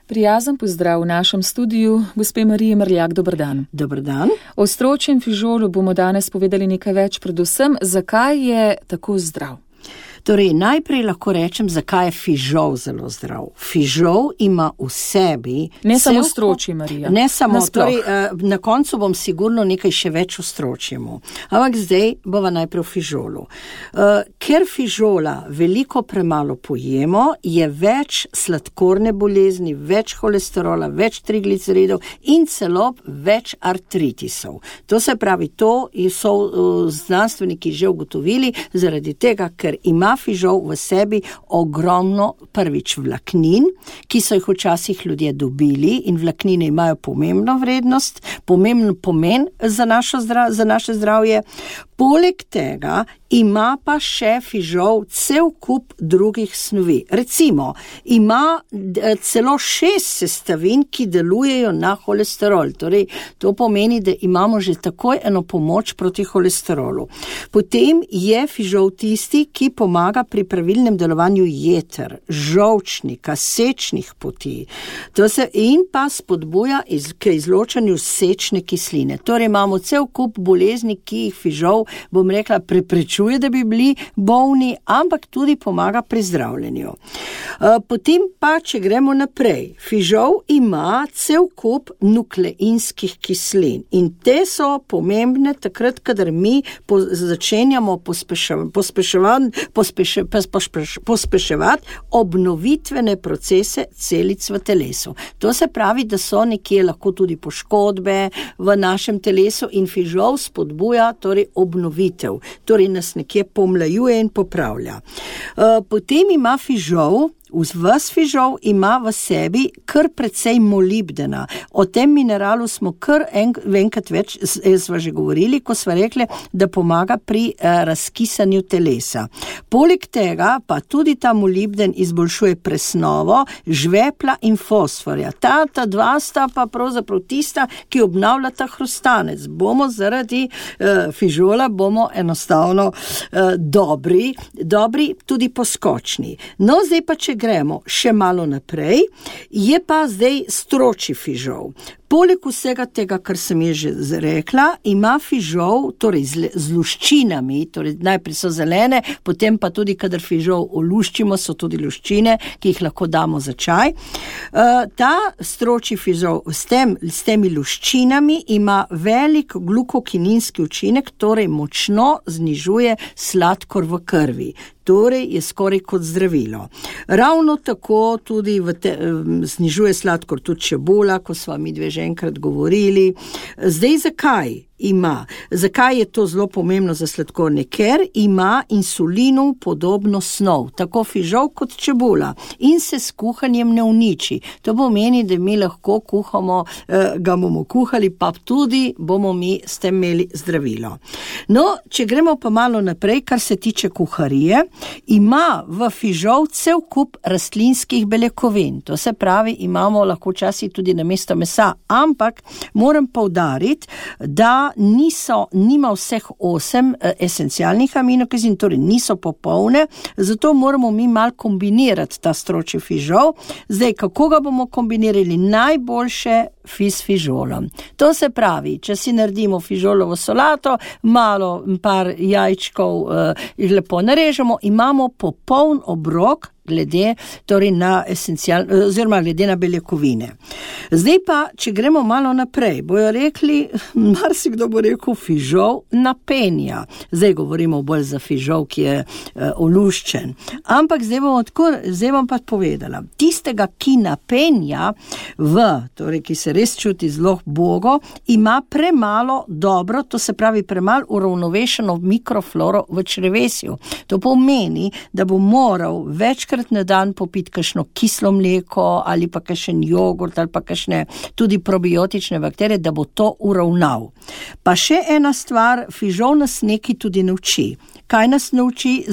Prijazen pozdrav v našem studiu, gospe Marije Mrljak, dober dan. Dober dan. O stročjem fižolu bomo danes povedali nekaj več, predvsem, zakaj je tako zdrav. Torej, najprej lahko rečem, zakaj je fižol zelo zdrav. Fižol ima v sebi... Ne samo stročji, Marija. Ne samo, torej, na koncu bom sigurno nekaj še več o stročjemu. Ampak zdaj bova najprej o fižolu. Ker fižola veliko premalo pojemo, je več sladkorne bolezni, več holesterola, več trigliceridov in celo več artritisov. To se pravi, to so znanstveniki že ugotovili zaradi tega, ker ima fižol v sebi ogromno prvič vlaknin, ki so jih včasih ljudje dobili in vlaknine imajo pomembno vrednost, pomemben pomen za naše zdravje. Poleg tega ima pa še fižol cel kup drugih snovi. Recimo, ima celo 6 sestavin, ki delujejo na holesterol. Torej, to pomeni, da imamo že takoj eno pomoč proti holesterolu. Potem je fižol tisti, ki pomaga pri pravilnem delovanju jeter, žolčnika, sečnih poti. In pa spodbuja k izločanju sečne kisline. Torej, imamo cel kup bolezni, ki jih fižol, bom rekla, preprečuje, da bi bili bolni, ampak tudi pomaga pri zdravljenju. Potem pa, če gremo naprej, fižol ima cel kup nukleinskih kislin in te so pomembne takrat, kadar mi začenjamo pospeševati obnovitvene procese celic v telesu. To se pravi, da so nekje lahko tudi poškodbe v našem telesu in fižol spodbuja torej obnovitev, torej nas nekje pomlajuje in popravlja. Potem ima fižol, ves fižol ima v sebi kar precej molibdena. O tem mineralu smo kar enkrat več sva že govorili, ko sva rekli, da pomaga pri razkisanju telesa. Poleg tega pa tudi ta molibden izboljšuje presnovo žvepla in fosforja. Ta dva sta pa pravzaprav tista, ki obnavljata hrustanec. Bomo zaradi fižola bomo enostavno dobri, tudi poskočni. No, zdaj pa če gremo še malo naprej, je pa zdaj stročji fižol. Poleg vsega tega, kar sem je že rekla, ima fižol, torej z luščinami, torej najprej so zelene, potem pa tudi, kadar fižol oluščimo, so tudi luščine, ki jih lahko damo za čaj. Ta stročji fižol s temi luščinami ima velik glukokininski učinek, torej močno znižuje sladkor v krvi. Torej je skoraj kot zdravilo. Ravno tako tudi znižuje sladkor tudi čebula, ko sva mi dve že enkrat govorili. Zdaj zakaj je to zelo pomembno za sladkorne? Ker ima insulinu podobno snov, tako fižol kot čebula in se s kuhanjem ne uniči. To pomeni, da mi lahko kuhamo, ga bomo kuhali, pa tudi bomo mi s tem imeli zdravilo. No, če gremo pa malo naprej, kar se tiče kuharije, ima v fižol cel kup rastlinskih beljakovin. To se pravi, imamo lahko včasih tudi namesto mesa, ampak moram poudariti, da nima vseh 8 esencialnih aminokislin, torej niso popolne, zato moramo mi malo kombinirati ta stročji fižol. Zdaj, kako ga bomo kombinirali? Najboljše s fižolom. To se pravi, če si naredimo fižolovo solato, malo par jajčkov lepo narežemo, imamo popoln obrok glede na beljakovine. Zdaj pa, če gremo malo naprej, bojo rekli, marsikdo bo rekel fižol napenja. Zdaj govorimo bolj za fižol, ki je oluščen. Ampak zdaj bom pa povedala, tistega, ki napenja torej, ki se res čuti zelo bogo, ima premalo dobro, to se pravi premalo uravnovešeno mikrofloro v črevesju. To pomeni, da bo moral večkrat na dan popiti kakšno kislo mleko ali pa kakšen jogurt ali pa kakšne tudi probiotične bakterije, da bo to uravnal. Pa še ena stvar, fižol nas nekaj tudi nauči. kaj nas nauči,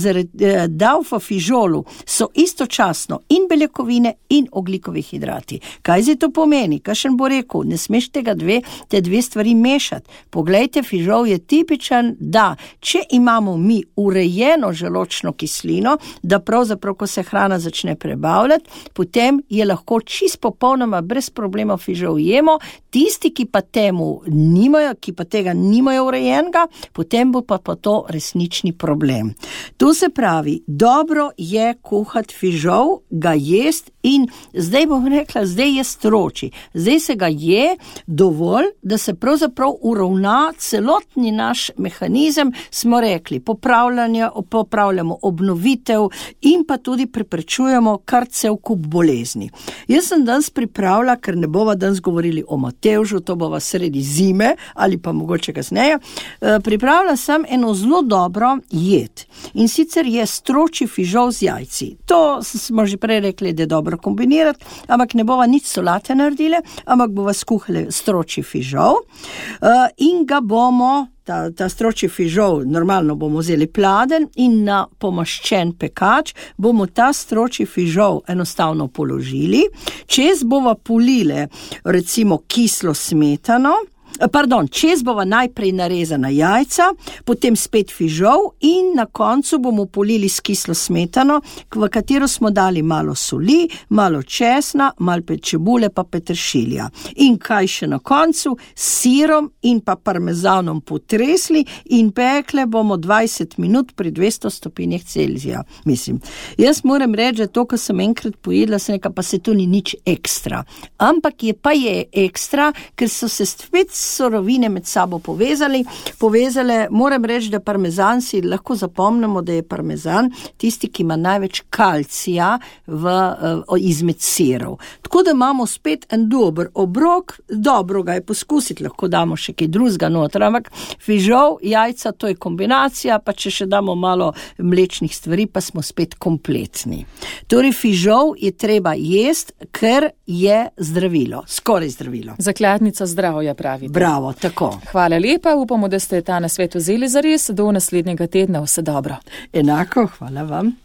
da v fižolu so istočasno in beljakovine in ogljikovi hidrati. Kaj zdaj to pomeni? Kakšen bo rekel, ne smeš te dve stvari mešati. Poglejte, fižol je tipičen, da če imamo mi urejeno želočno kislino, da pravzaprav, ko se hrana začne prebavljati, potem je lahko čist popolnoma brez problema fižol jemo. Tisti, ki pa tega nimajo urejenega, potem bo pa to resnični problem. To se pravi, dobro je kuhati fižol, ga jest in zdaj bom rekla, zdaj je stroči. Zdaj se ga je dovolj, da se pravzaprav uravna celotni naš mehanizem, smo rekli, popravljamo obnovitev in pa tudi preprečujemo kar cel kup bolezni. Jaz sem danes pripravila, ker ne bova danes govorili o Matevžu, to bova sredi zime ali pa mogoče kasneje, pripravila sem eno zelo dobro jed. In sicer je stroči fižol z jajci. To smo že prej rekli, da je dobro kombinirati, ampak ne bova nič solate naredile, ampak bova skuhali stroči fižol in ga bomo, ta stroči fižol, normalno bomo vzeli pladen in na pomaščen pekač bomo ta stroči fižol enostavno položili. Čez bova polile recimo kislo smetano, čez bova najprej narezana jajca, potem spet fižol in na koncu bomo polili s kislo smetano, v katero smo dali malo soli, malo česna, malo čebule pa peteršilja. In kaj še na koncu? S sirom in pa parmezanom potresli in pekle bomo 20 minut pri 200 stopinjah Celzija. Mislim, jaz moram reči, da to, ko sem enkrat pojedla, sem nekaj, pa se to ni nič ekstra. Ampak je ekstra, ker so se spet sorovine med sabo povezale. Moram reči, da parmezan si lahko zapomnimo, da je parmezan tisti, ki ima največ kalcija izmed sirov. Tako da imamo spet en dober obrok, dobro ga je poskusiti, lahko damo še kaj drugega noter, ampak fižol, jajca, to je kombinacija, pa če še damo malo mlečnih stvari, pa smo spet kompletni. Torej, fižol je treba jesti, ker je zdravilo, skoraj zdravilo. Zakladnica zdravja, pravite. Bravo, tako. Hvala lepa, upamo, da ste ta nasvet vzeli zares. Do naslednjega tedna, vse dobro. Enako, hvala vam.